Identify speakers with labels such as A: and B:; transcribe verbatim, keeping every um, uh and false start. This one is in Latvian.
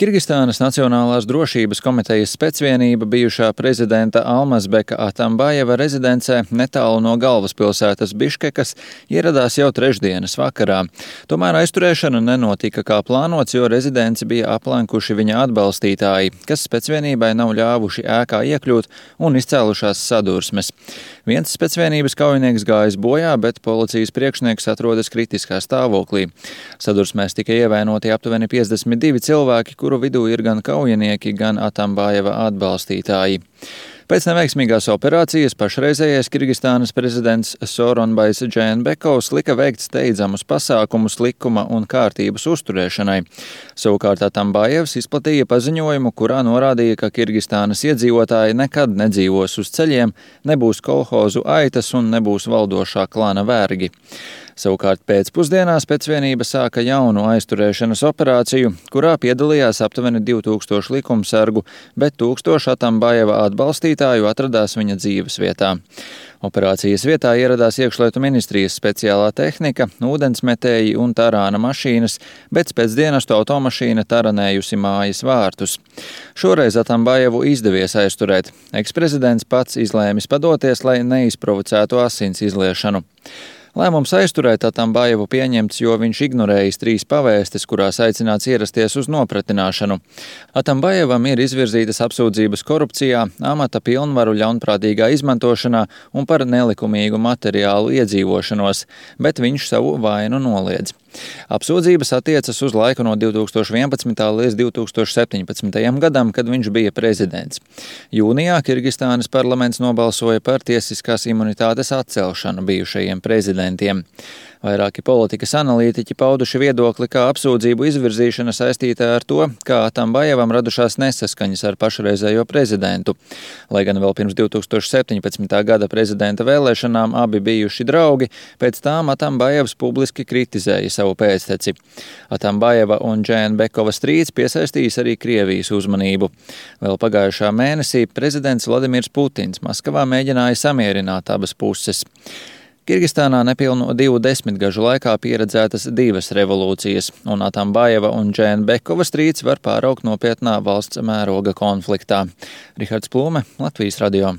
A: Kirgistānas Nacionālās drošības komitejas specvienība bijušā prezidenta Almazbeka Atambajeva rezidencē netālu no galvaspilsētas Biškekas ieradās jau trešdienas vakarā. Tomēr aizturēšana nenotika kā plānots, jo rezidenci bija aplenkuši viņa atbalstītāji, kas specvienībai nav ļāvuši ēkā iekļūt un izcēlušās sadursmes. Viens specvienības kaujinieks gājis bojā, bet policijas priekšnieks atrodas kritiskā stāvoklī. Sadursmēs tika ievainoti aptuveni piecdesmit divi cilvēki, kuru vidū ir gan kaujinieki, gan Atambajeva atbalstītāji. Pēc neveiksmīgās operācijas pašreizējais Kirgistānas prezidents Sooronbais Džeenbekovs lika veikt steidzamus pasākumus likuma un kārtības uzturēšanai. Savukārt Atambajevs izplatīja paziņojumu, kurā norādīja, ka Kirgistānas iedzīvotāji nekad nedzīvos uz ceļiem, nebūs kolhozu aitas un nebūs valdošā klana vergi. Savukārt pēcpusdienā specvienība sāka jaunu aizturēšanas operāciju, kurā piedalījās aptuveni divi tūkstoši likumsargu, bet tūkstoši Atambajeva atbalstītāju atradās viņa dzīves vietā. Operācijas vietā ieradās iekšlietu ministrijas speciālā tehnika, ūdensmetēji un tarāna mašīnas, bet pēcdienastu automašīna taranējusi mājas vārtus. Šoreiz Atambajevu izdevies aizturēt. Eksprezidents pats izlēmis padoties, lai neizprovocētu asins izliešanu. Lēmums aizturēt Atambajevu pieņemts, jo viņš ignorējis trīs pavēstes, kurās aicināts ierasties uz nopratināšanu. Atambajevam ir izvirzītas apsūdzības korupcijā, amata pilnvaru ļaunprātīgā izmantošanā un par nelikumīgu materiālu iedzīvošanos, bet viņš savu vainu noliedz. Apsūdzības attiecas uz laiku no divi tūkstoši vienpadsmitā līdz divi tūkstoši septiņpadsmitajam gadam, kad viņš bija prezidents. Jūnijā Kirgistānas parlaments nobalsoja par tiesiskās imunitātes atcelšanu bijušajiem prezidentiem. Vairāki politikas analītiķi pauduši viedokli, ka apsūdzību izvirzīšana saistīta ar to, kā Atambajevam radušās nesaskaņas ar pašreizējo prezidentu. Lai gan vēl pirms divi tūkstoši septiņpadsmitā gada prezidenta vēlēšanām abi bijuši draugi, pēc tām Atambajevs publiski kritizēja savu pēcteci. Atambajeva un Džeenbekova strīds piesaistījis arī Krievijas uzmanību. Vēl pagājušā mēnesī prezidents Vladimirs Putins Maskavā mēģināja samierināt abas puses. Kirgistānā nepilnu divu desmitgažu laikā pieredzētas divas revolūcijas, un Atambajeva un Džeenbekova strīds var pāraugt nopietnā valsts mēroga konfliktā. Rihards Plūme, Latvijas radio.